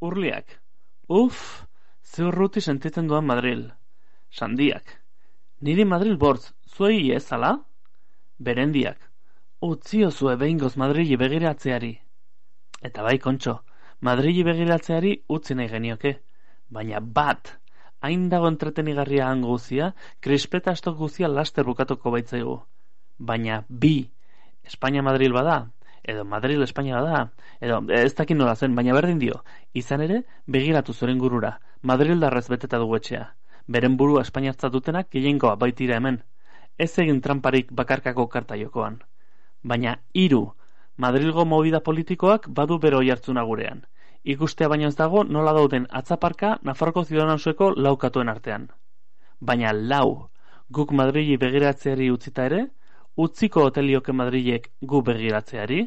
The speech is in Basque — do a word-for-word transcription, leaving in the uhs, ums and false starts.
Urliak. Uf, ze urruti sentitzen duan Madril. Sandiak. Niri Madril bortz, zuei ez ala? Berendiak. Utzio zue behingoz Madrili begiratzeari. Eta bai, Kontxo, Madrili begiratzeari utzi nahi genioke. Baina bat, hain dago entretenigarria hango guzia, krispeta astok guzia laster bukatuko baitzaigu. Baina bi, Espainia Madril bada, edo Madril Espainia bada, edo ez dakin nola zen, baina berdin dio, izan ere, begiratu zoren gurura, Madril darrez beteta dugu etxea. Beren burua Espainiartzat dutenak gehiengoa baitira hemen. Ez egin tramparik bakarkako karta jokoan. Baina hiru, Madrilgo movida politikoak badu bero jartzuna gurean. Ikustea baino ez dago nola dauden atzaparka Nafarroko Ciudadanosueko laukatuen artean. Baina lau, guk Madrili begiratzeari utzita ere, utziko hotelioke Madrilek gu begiratzeari?